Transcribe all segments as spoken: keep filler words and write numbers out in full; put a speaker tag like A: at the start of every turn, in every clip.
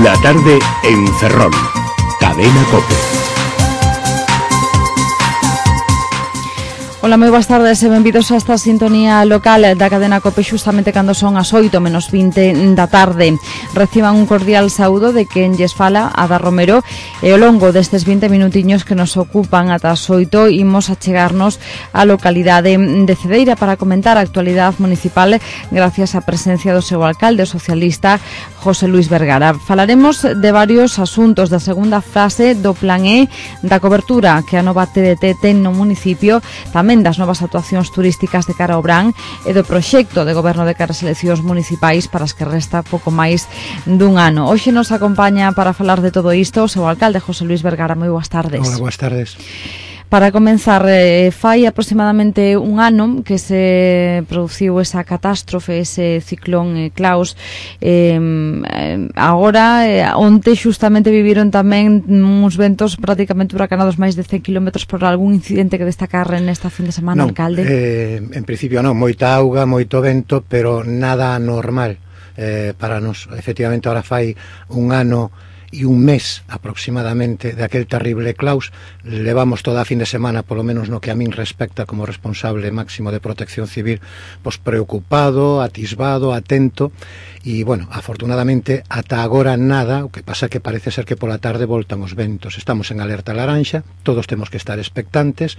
A: La tarde en Ferrol. Cadena COPE.
B: Ola, moi boas tardes e benvidos a esta sintonía local da cadena COPE xustamente cando son as oito menos vinte da tarde. Reciban un cordial saúdo de quen lles fala, Ada Romero, e ao longo destes vinte minutiños que nos ocupan ata as oito imos a chegarnos á localidade de Cedeira para comentar a actualidade municipal gracias á presencia do seu alcalde socialista José Luis Vergara. Falaremos de varios asuntos da segunda fase do Plan E, da cobertura que a nova T D T ten no municipio, tamén das novas actuacións turísticas de cara ao Brán e do proxecto de goberno de cara ás eleccións municipais para as que resta pouco máis dun ano. Hoxe nos acompaña para falar de todo isto o seu alcalde José Luis Vergara. Moi boas tardes.
C: Hola, boas tardes.
B: Para comenzar, eh, fai aproximadamente un ano que se produciu esa catástrofe, ese ciclón eh, Klaus. Eh, agora, eh, onte xustamente viviron tamén uns ventos prácticamente huracanados máis de cen kilómetros por algún incidente que destacar nesta fin de semana,
C: non,
B: alcalde?
C: Eh, en principio non, moita auga, moito vento, pero nada normal eh, para nos. Efectivamente, ahora fai un ano e un mes aproximadamente de aquel terrible Klaus. Levamos toda a fin de semana, polo menos no que a min respecta como responsable máximo de Protección Civil, pois preocupado, atisbado, atento. E, bueno, afortunadamente, ata agora nada, o que pasa que parece ser que pola tarde voltan os ventos. Estamos en alerta laranxa, todos temos que estar expectantes,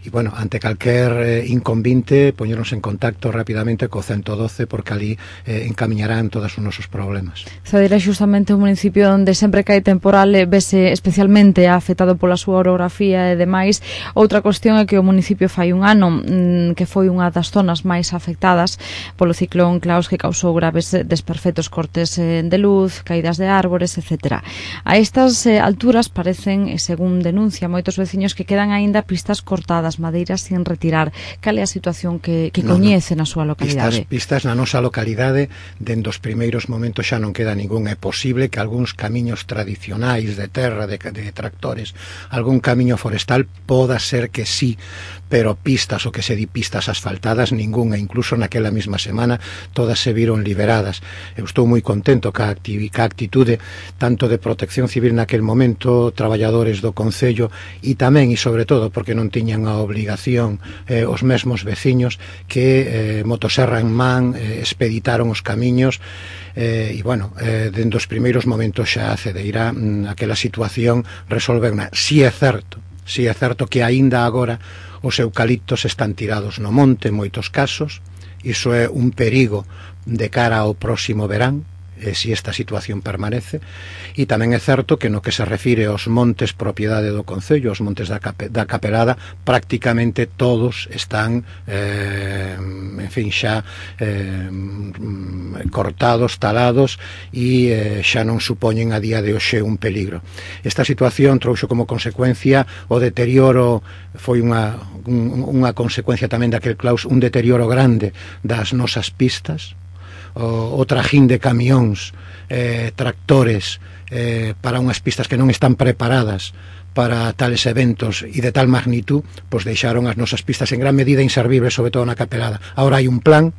C: e, bueno, ante calquer eh, inconvinte, poñernos en contacto rapidamente co ciento doce, porque ali eh, encamiñarán todos os nosos problemas.
B: Cedeira é xustamente un municipio onde sempre que hai temporal eh, vese especialmente afectado pola súa orografía e demais. Outra cuestión é que o municipio fai un ano mmm, que foi unha das zonas máis afectadas polo ciclón Klaus, que causou graves desperfectos, cortes eh, de luz, caídas de árbores, etcétera. A estas eh, alturas parecen, según denuncia moitos veciños, que quedan aínda pistas cortadas, madeiras sin retirar. Cal é a situación que, que
C: no,
B: coñece
C: no.
B: na súa localidade?
C: Pistas, pistas na nosa localidade, dende os primeiros momentos xa non queda ningún. É posible que algúns camiños tradicionais de terra, de, de tractores, algún camiño forestal, poda ser que sí, pero pistas, o que se di pistas asfaltadas, ninguna. Incluso naquela mesma semana todas se viron liberadas. Eu estou moi contento ca, acti ca actitude tanto de Protección Civil naquel momento, traballadores do Concello, e tamén e sobre todo porque non tiñan a obligación eh, os mesmos veciños que eh, motoserra en man eh, expeditaron os camiños. Eh, e, bueno, eh, dende os primeiros momentos xa a Cedeira mm, aquela situación resolveuna. Si é certo, si é certo que aínda agora os eucaliptos están tirados no monte en moitos casos. Iso é un perigo de cara ao próximo verán, eh, si esta situación permanece. E tamén é certo que no que se refire aos montes propiedade do Concello, os montes da, Cape, da Capelada, prácticamente todos están eh, en fin, xa eh, cortados, talados, e eh, xa non supoñen a día de hoxe un peligro. Esta situación trouxo como consecuencia o deterioro, foi unha, un, unha consecuencia tamén daquel Klaus, un deterioro grande das nosas pistas, o, o trajín de camións, eh, tractores, eh, para unhas pistas que non están preparadas para tales eventos e de tal magnitud, pois deixaron as nosas pistas en gran medida inservibles, sobre todo na Capelada. Ahora hai un plan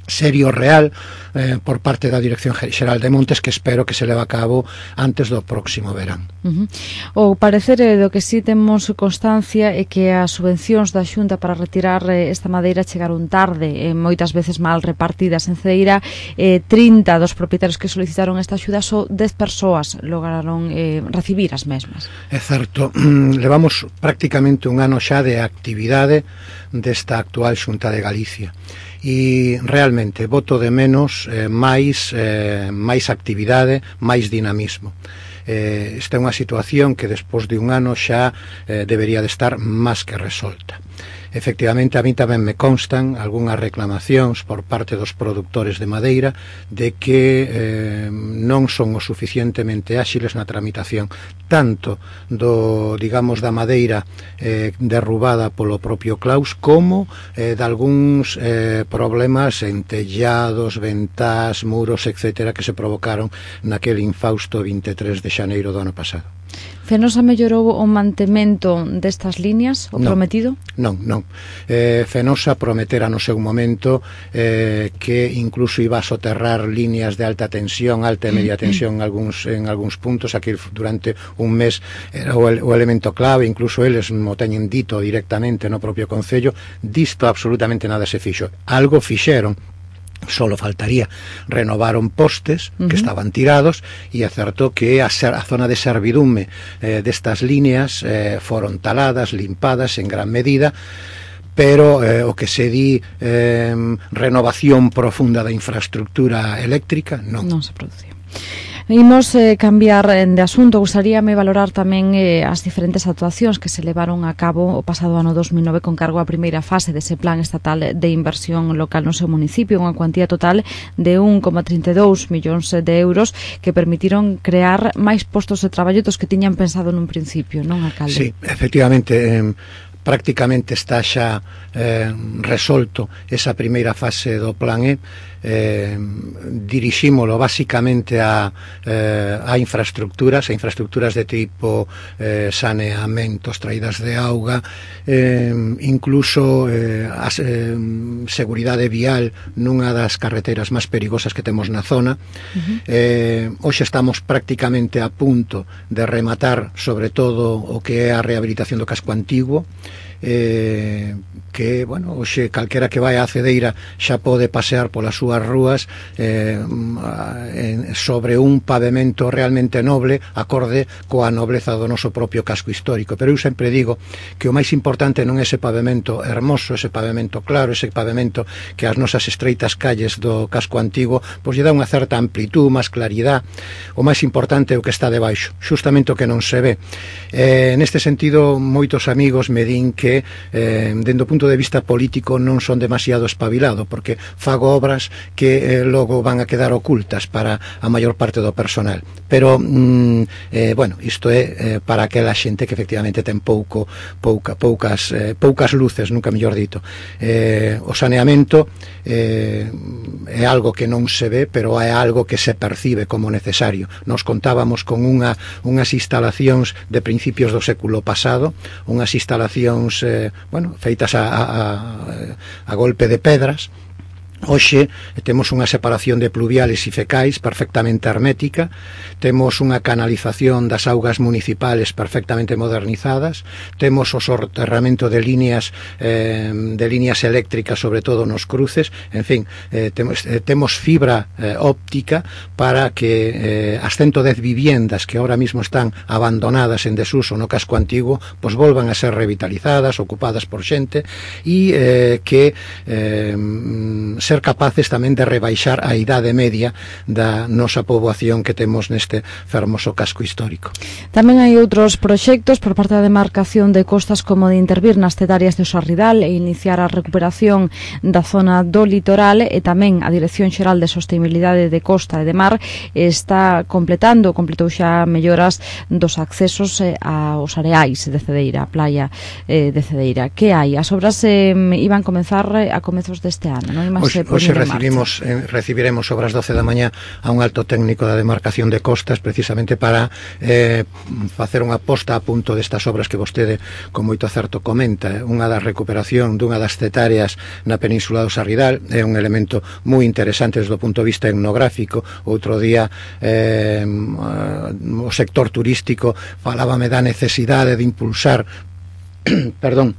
C: serio, real, eh, por parte da Dirección Xeral de Montes, que espero que se leve a cabo antes do próximo verán.
B: Uh -huh. O parecer eh, do que sí temos constancia é que as subvencións da Xunta para retirar eh, esta madeira chegaron tarde, eh, moitas veces mal repartidas. En Cedeira, eh, trinta dos propietarios que solicitaron esta axuda, só dez persoas lograron eh, recibir as mesmas.
C: É certo, levamos prácticamente un ano xa de actividade desta actual Xunta de Galicia, e realmente boto de menos eh, máis, eh, máis actividade, máis dinamismo. Eh, esta é unha situación que despois de un ano xa eh, debería de estar máis que resolta. Efectivamente, a mí tamén me constan algunhas reclamacións por parte dos produtores de madeira de que eh, non son o suficientemente áxiles na tramitación tanto do, digamos, da madeira eh, derrubada polo propio Klaus, como eh, de algúns eh, problemas en tellados, ventás, muros, etcétera, que se provocaron naquele infausto vinte e tres de xaneiro do ano pasado.
B: Fenosa mellorou o mantemento destas líneas, o
C: non,
B: prometido?
C: Non, non. Eh, Fenosa prometera no seu momento eh, que incluso iba a soterrar líneas de alta tensión, alta e media tensión en algúns, en algúns puntos. Aquí durante un mes era o, o elemento clave, incluso eles mo teñen dito directamente no propio Concello. Disto absolutamente nada se fixo. Algo fixeron, solo faltaría, renovaron postes que uh-huh. estaban tirados, e acertou que a, ser, a zona de servidume eh, destas líneas eh, foron taladas, limpadas en gran medida, pero eh, o que se di eh, renovación profunda da infraestructura eléctrica non,
B: non se producía. Imos eh, cambiar de asunto. Gustaríame valorar tamén eh, as diferentes actuacións que se levaron a cabo o pasado ano dos mil nove con cargo á primeira fase dese plan estatal de inversión local no seu municipio, unha cuantía total de un coma trinta e dous millóns de euros que permitiron crear máis postos de traballo dos que tiñan pensado nun principio, non, alcalde?
C: Sí, efectivamente, eh, prácticamente está xa eh, resolto esa primeira fase do plan E. Eh, dirixímolo basicamente a, eh, a infraestructuras, a infraestructuras de tipo eh, saneamentos, traídas de auga, eh, incluso eh, a eh, seguridade vial nunha das carreteras máis perigosas que temos na zona. Uh-huh. eh, hoxe estamos prácticamente a punto de rematar sobre todo o que é a rehabilitación do casco antigo, eh, que, bueno, hoxe calquera que vai á Cedeira xa pode pasear polas súas rúas eh, sobre un pavimento realmente noble, acorde coa nobleza do noso propio casco histórico. Pero eu sempre digo que o máis importante non é ese pavimento hermoso, ese pavimento claro, ese pavimento que as nosas estreitas calles do casco antigo pois lle dá unha certa amplitud, máis claridade. O máis importante é o que está debaixo, justamente o que non se ve. Eh, neste sentido, moitos amigos me din que eh, dende o punto de vista político non son demasiado espabilado, porque fago obras que eh, logo van a quedar ocultas para a maior parte do personal. Pero, mm, eh, bueno, isto é eh, para aquela xente que efectivamente ten pouco, pouca, poucas, eh, poucas luces, nunca mellor dito. Eh, o saneamento eh, é algo que non se ve, pero é algo que se percibe como necesario. Nos contábamos con unha, unhas instalacións de principios do século pasado, unhas instalacións eh, bueno, feitas a, a, a golpe de pedras. Hoxe temos unha separación de pluviales e fecais perfectamente hermética, temos unha canalización das augas municipales perfectamente modernizadas, temos o soterramento de líneas eh, de líneas eléctricas, sobre todo nos cruces, en fin, eh, temos, eh, temos fibra eh, óptica para que eh, as ciento dez viviendas que ahora mismo están abandonadas en desuso no casco antigo, pois volvan a ser revitalizadas, ocupadas por xente, e eh, que eh, ser capaces tamén de rebaixar a idade media da nosa poboación que temos neste fermoso casco histórico.
B: Tamén hai outros proxectos por parte da demarcación de costas, como de intervir nas cetarias de Sarridal e iniciar a recuperación da zona do litoral, e tamén a Dirección Xeral de Sostenibilidade de Costa e de Mar está completando, completou xa melloras dos accesos aos areais de Cedeira, a playa de Cedeira. Que hai? As obras eh, iban comenzar a comezos deste ano, non?
C: Hoxe, hoxe recibimos, eh, recibiremos sobre as doce da mañá a un alto técnico da demarcación de costas, precisamente para eh, facer unha posta a punto destas obras que vostede con moito acerto comenta. Unha da recuperación dunha das cetarias na península do Sarridal é un elemento moi interesante desde o punto de vista etnográfico. Outro día eh, o sector turístico falábame da necesidade de impulsar perdón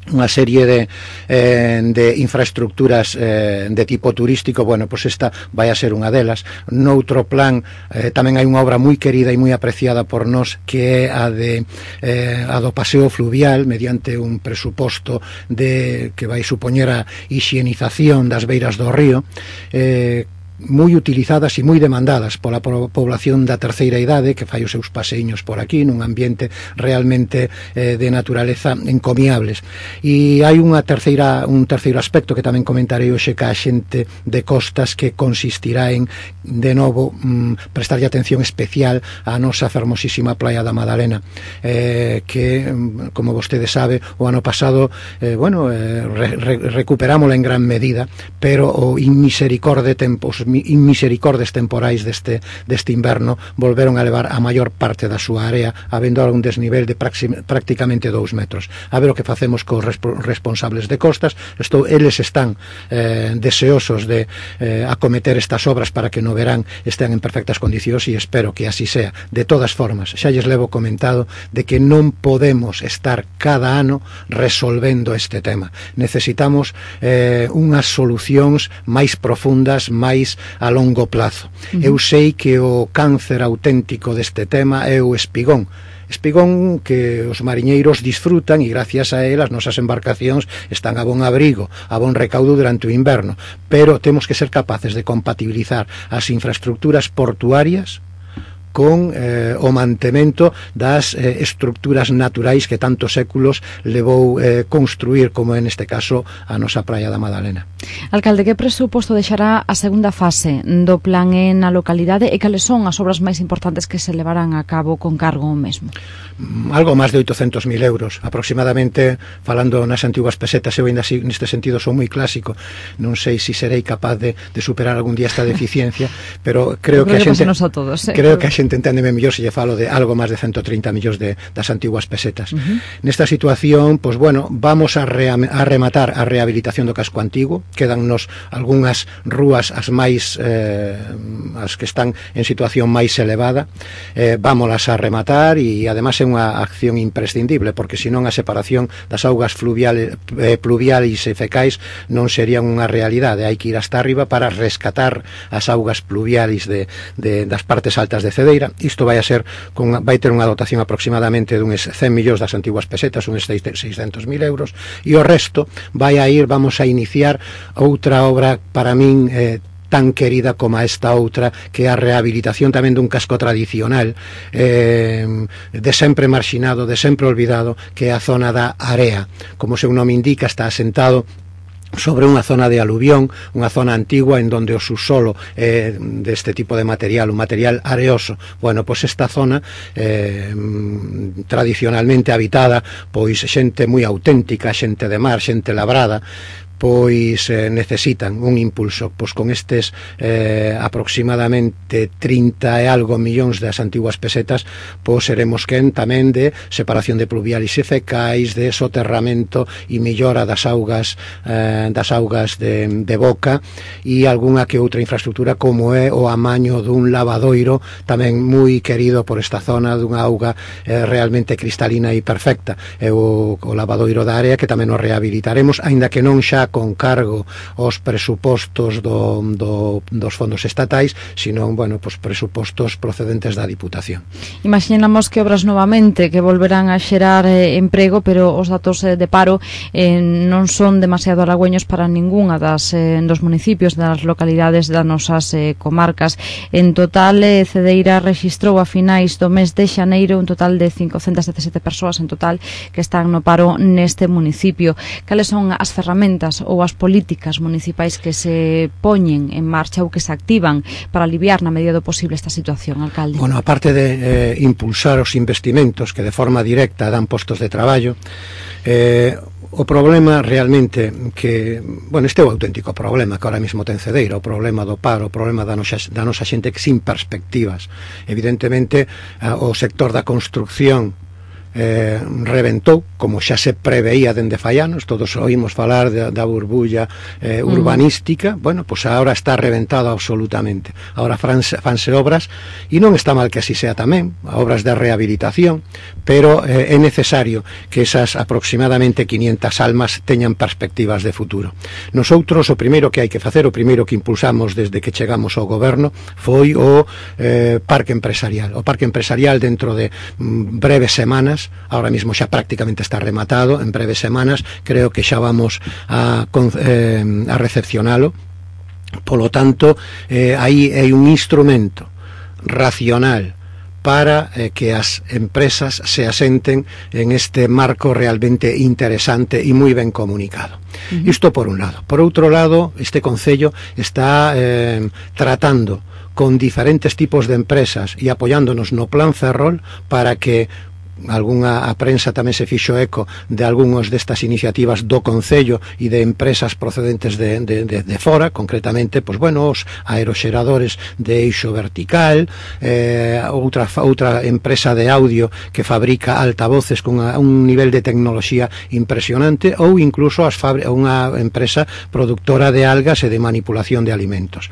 C: unha serie de, eh, de infraestructuras eh, de tipo turístico. Bueno, pois esta vai a ser unha delas. Noutro plan eh, tamén hai unha obra moi querida e moi apreciada por nós, que é a de eh, a do paseo fluvial, mediante un presuposto de que vai supoñer a hixienización das beiras do río, eh, moi utilizadas e moi demandadas pola población da terceira idade, que fai os seus paseiños por aquí nun ambiente realmente eh, de naturaleza encomiables. E hai unha terceira, un terceiro aspecto que tamén comentarei hoxe ca xente de costas, que consistirá en, de novo, mm, prestarlle atención especial á nosa fermosísima playa da Madalena, eh, que, como vostede sabe, o ano pasado eh, bueno, eh, re, re, recuperámola en gran medida, pero o inmisericorde tempos misericordes temporais deste, deste inverno volveron a levar a maior parte da súa área, habendo un desnivel de prácticamente dous metros. A ver o que facemos cos responsables de costas. Estou, eles están eh, deseosos de eh, acometer estas obras para que no verán estén en perfectas condicións, e espero que así sea. De todas formas, xa lles levo comentado de que non podemos estar cada ano resolvendo este tema. Necesitamos eh, unhas solucións máis profundas, máis a longo plazo. Uh-huh. Eu sei que o cáncer auténtico deste tema é o espigón. Espigón que os mariñeiros disfrutan e gracias a él as nosas embarcacións están a bon abrigo, a bon recaudo durante o inverno, pero temos que ser capaces de compatibilizar as infraestructuras portuarias con eh, o mantemento das eh, estructuras naturais que tantos séculos levou eh, construir, como en este caso a nosa praia da Madalena.
B: Alcalde, que presuposto deixará a segunda fase do plan na localidade e cales son as obras máis importantes que se levarán a cabo con cargo o mesmo?
C: Algo máis de oitocentos mil euros aproximadamente, falando nas antiguas pesetas. Eu ainda así, neste sentido, son moi clásico, non sei se si serei capaz de, de superar algún día esta deficiencia, pero creo, creo que, que a xente
B: a todos, eh?
C: creo que a xente enténdeme mellor se lle falo de algo máis de ciento trinta millóns de, das antiguas pesetas. Uh-huh. Nesta situación, pois bueno, vamos a, rea, a rematar a rehabilitación do casco antigo. Quedannos algunhas rúas as máis eh, as que están en situación máis elevada, eh, vámolas a rematar, e además é unha acción imprescindible, porque senón a separación das augas fluviales, eh, pluviais e fecais non serían unha realidade. Hai que ir hasta arriba para rescatar as augas pluviais de, de, das partes altas de Cedeira. Isto vai a ser con, vai ter unha dotación aproximadamente duns cen millóns das antiguas pesetas, uns seiscentos mil euros, e o resto vai a ir, vamos a iniciar outra obra para min eh, tan querida como esta outra, que é a rehabilitación tamén dun casco tradicional eh, de sempre marxinado, de sempre olvidado, que é a zona da Area. Como o seu nome indica, está asentado sobre unha zona de aluvión, unha zona antigua en donde o subsolo é deste tipo de material, un material areoso. Bueno, pois esta zona eh, tradicionalmente habitada, pois xente moi auténtica, xente de mar, xente labrada, pois eh, necesitan un impulso. Pois con estes eh, aproximadamente trinta e algo millóns das antiguas pesetas, pois seremos quen tamén de separación de pluviales e fecais, de soterramento e millora das augas eh, das augas de, de boca, e algunha que outra infraestructura, como é o amaño dun lavadoiro tamén moi querido por esta zona, dunha auga eh, realmente cristalina e perfecta. É o, o lavadoiro da Área, que tamén o rehabilitaremos, aínda que non xa con cargo aos presupostos do, do, dos fondos estatais, sino, bueno, pues presupostos procedentes da Diputación.
B: Imaginamos que obras novamente que volverán a xerar eh, emprego, pero os datos eh, de paro eh, non son demasiado halagüeños para ningunha das eh, dos municipios, das localidades das nosas eh, comarcas. En total, eh, Cedeira rexistrou a finais do mes de xaneiro un total de cincocentas dezasete persoas en total que están no paro neste municipio. Cales son as ferramentas ou as políticas municipais que se poñen en marcha ou que se activan para aliviar na medida do posible esta situación, alcalde?
C: Bueno, aparte de eh, impulsar os investimentos que de forma directa dan postos de traballo, eh, o problema realmente que, bueno, este é o auténtico problema que ahora mismo ten Cedeira, o problema do paro, o problema da nosa, da nosa xente que sin perspectivas. Evidentemente, o sector da construcción Eh, reventou, como xa se preveía dende fai anos. Todos oímos falar de, da burbulla eh, urbanística. Mm. Bueno, pois pues agora está reventado absolutamente. Agora fanse, fanse obras, e non está mal que así sea tamén, obras de rehabilitación, pero eh, é necesario que esas aproximadamente quinientas almas teñan perspectivas de futuro. Nosotros, o primeiro que hai que facer, o primeiro que impulsamos desde que chegamos ao goberno, foi o eh, parque empresarial. O parque empresarial, dentro de mm, breves semanas, ahora mismo xa prácticamente está rematado, en breves semanas creo que xa vamos a, eh, a recepcionalo. Polo tanto, eh, aí hai un instrumento racional para eh, que as empresas se asenten en este marco realmente interesante e moi ben comunicado. Uh-huh. Isto por un lado. Por outro lado, este concello está eh, tratando con diferentes tipos de empresas e apoiándonos no plan Ferrol para que algunha a prensa tamén se fixo eco de algúns destas iniciativas do Concello e de empresas procedentes de, de, de, de fora, concretamente, pois, bueno, os aeroxeradores de eixo vertical, eh, outra, outra empresa de audio que fabrica altavoces con a, un nivel de tecnoloxía impresionante, ou incluso as unha empresa productora de algas e de manipulación de alimentos.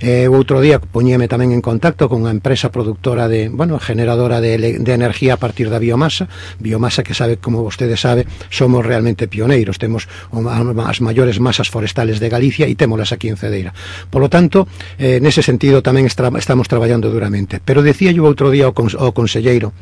C: Eh, outro día poñíame tamén en contacto con unha empresa productora de, bueno, generadora de, de energía a partir da biomasa, biomasa que sabe, como vostede sabe, somos realmente pioneiros, temos as maiores masas forestales de Galicia e témolas aquí en Cedeira. Por lo tanto, eh, nese sentido tamén estra, estamos traballando duramente. Pero decía yo outro día ao, cons, ao conselleiro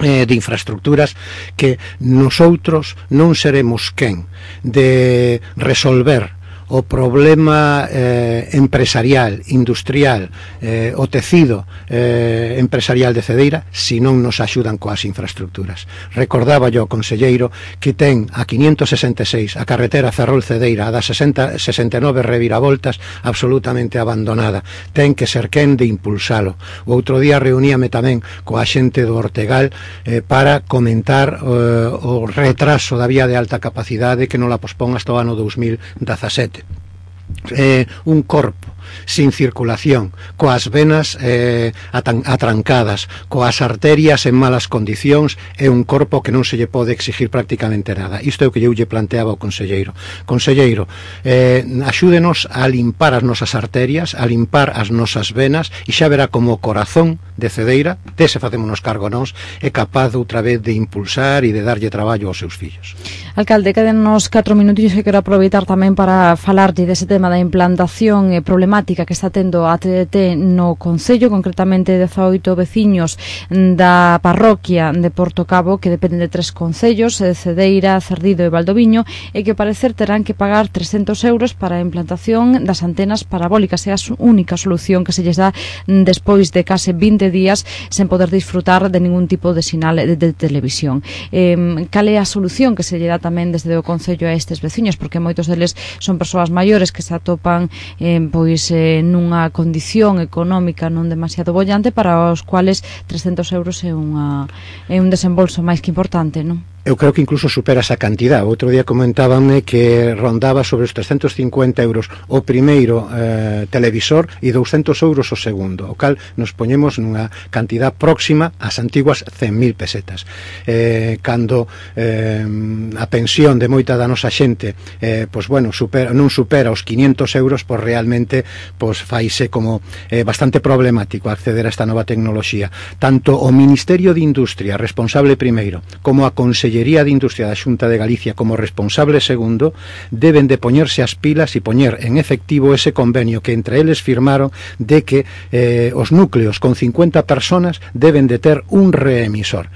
C: Eh, de infraestructuras que nosotros non seremos quen de resolver o problema eh, empresarial, industrial, eh, o tecido eh, empresarial de Cedeira si non nos axudan coas infraestructuras. Recordaba yo, conselleiro, que ten a quinientos sesenta e seis a carretera Ferrol-Cedeira, a das sesenta, sesenta e nove reviravoltas, absolutamente abandonada. Ten que ser quen de impulsalo. O outro día reuníame tamén coa xente do Ortegal eh, para comentar eh, o retraso da vía de alta capacidade que non la pospón hasta o ano dos mil dezasete. Eh, un corpo sin circulación, coas venas eh, atrancadas, coas arterias en malas condicións, é un corpo que non se lle pode exigir prácticamente nada. Isto é o que eu lle planteaba ao conselleiro. Conselleiro, eh, axúdenos a limpar as nosas arterias, a limpar as nosas venas, e xa verá como o corazón de Cedeira, dese facémonos cargo nós, é capaz outra vez de impulsar e de darlle traballo aos seus fillos.
B: Alcalde, quedennos catro minutos que quero aproveitar tamén para falarlle dese tema da implantación e problemática que está tendo a T D T no Concello, concretamente dezaoito veciños da parroquia de Portocabo, que dependen de tres concellos, Cedeira, Cerdido e Valdoviño, e que ao parecer terán que pagar trescentos euros para a implantación das antenas parabólicas. É a única solución que se lles dá despois de case vinte días sen poder disfrutar de ningún tipo de sinal de, de televisión. Eh, cal é a solución que se lle dá tamén desde o Concello a estes veciños, porque moitos deles son persoas maiores que se atopan eh, pois eh, nunha condición económica non demasiado bollante, para os cuales trescentos euros é, unha, é un desembolso máis que importante, non?
C: Eu creo que incluso supera esa cantidad. Outro día comentábanme que rondaba sobre os trescentos cincuenta euros o primeiro eh, televisor e douscentos euros o segundo, o cal nos poñemos nunha cantidad próxima ás antiguas cen mil pesetas. Eh, cando eh, a pensión de moita da nosa xente eh, pois, bueno, supera, non supera os quinientos euros, pois realmente pois, faise como eh, bastante problemático acceder a esta nova tecnoloxía. Tanto o Ministerio de Industria, responsable primeiro, como a Consellería de Industria da Xunta de Galicia como responsable segundo, deben de poñerse as pilas e poñer en efectivo ese convenio que entre eles firmaron de que eh, os núcleos con cincuenta personas deben de ter un reemisor.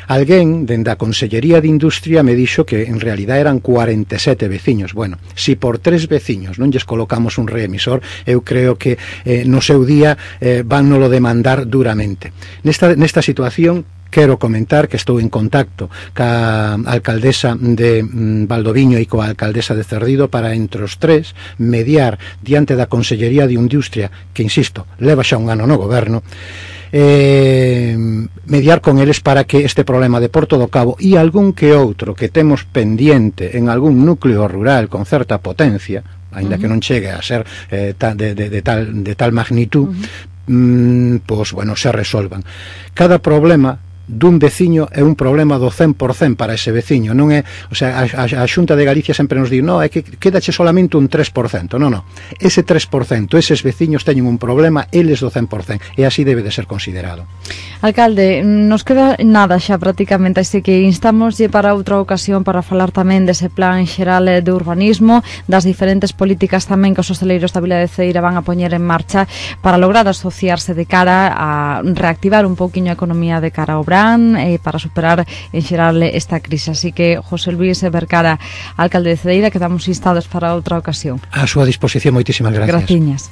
C: Alguén dende a Consellería de Industria me dixo que en realidad eran cuarenta e sete veciños. Bueno, si por tres veciños non lles colocamos un reemisor, eu creo que eh, no seu día eh, van nolo demandar duramente. Nesta, nesta situación quero comentar que estou en contacto ca alcaldesa de mm, Valdoviño e coa alcaldesa de Cerdido para entre os tres mediar diante da Consellería de Industria, que insisto, leva xa un ano no goberno, eh, mediar con eles para que este problema de Porto do Cabo e algún que outro que temos pendiente en algún núcleo rural con certa potencia, aínda uh -huh. que non chegue a ser eh, ta, de, de, de, tal, de tal magnitud, uh -huh. mm, pois, bueno, se resolvan. Cada problema dun veciño é un problema do cen por cen para ese veciño, non é, o sea, a, a, a Xunta de Galicia sempre nos di, no, é que quedache solamente un tres por cento, non, non, ese tres por cento, eses veciños teñen un problema, eles do cen por cen, e así debe de ser considerado.
B: Alcalde, nos queda nada xa prácticamente, así que instámoslle para outra ocasión para falar tamén dese plan xeral de urbanismo, das diferentes políticas tamén que os hostaleiros da Vila de Cedeira van a poñer en marcha para lograr asociarse de cara a reactivar un pouquiño a economía de cara ao eh, para superar en xeral esta crise. Así que José Luis Vercara, alcalde de Cedeira, quedamos instados para outra ocasión.
C: A súa disposición, moitísimas gracias.
B: Graciñas.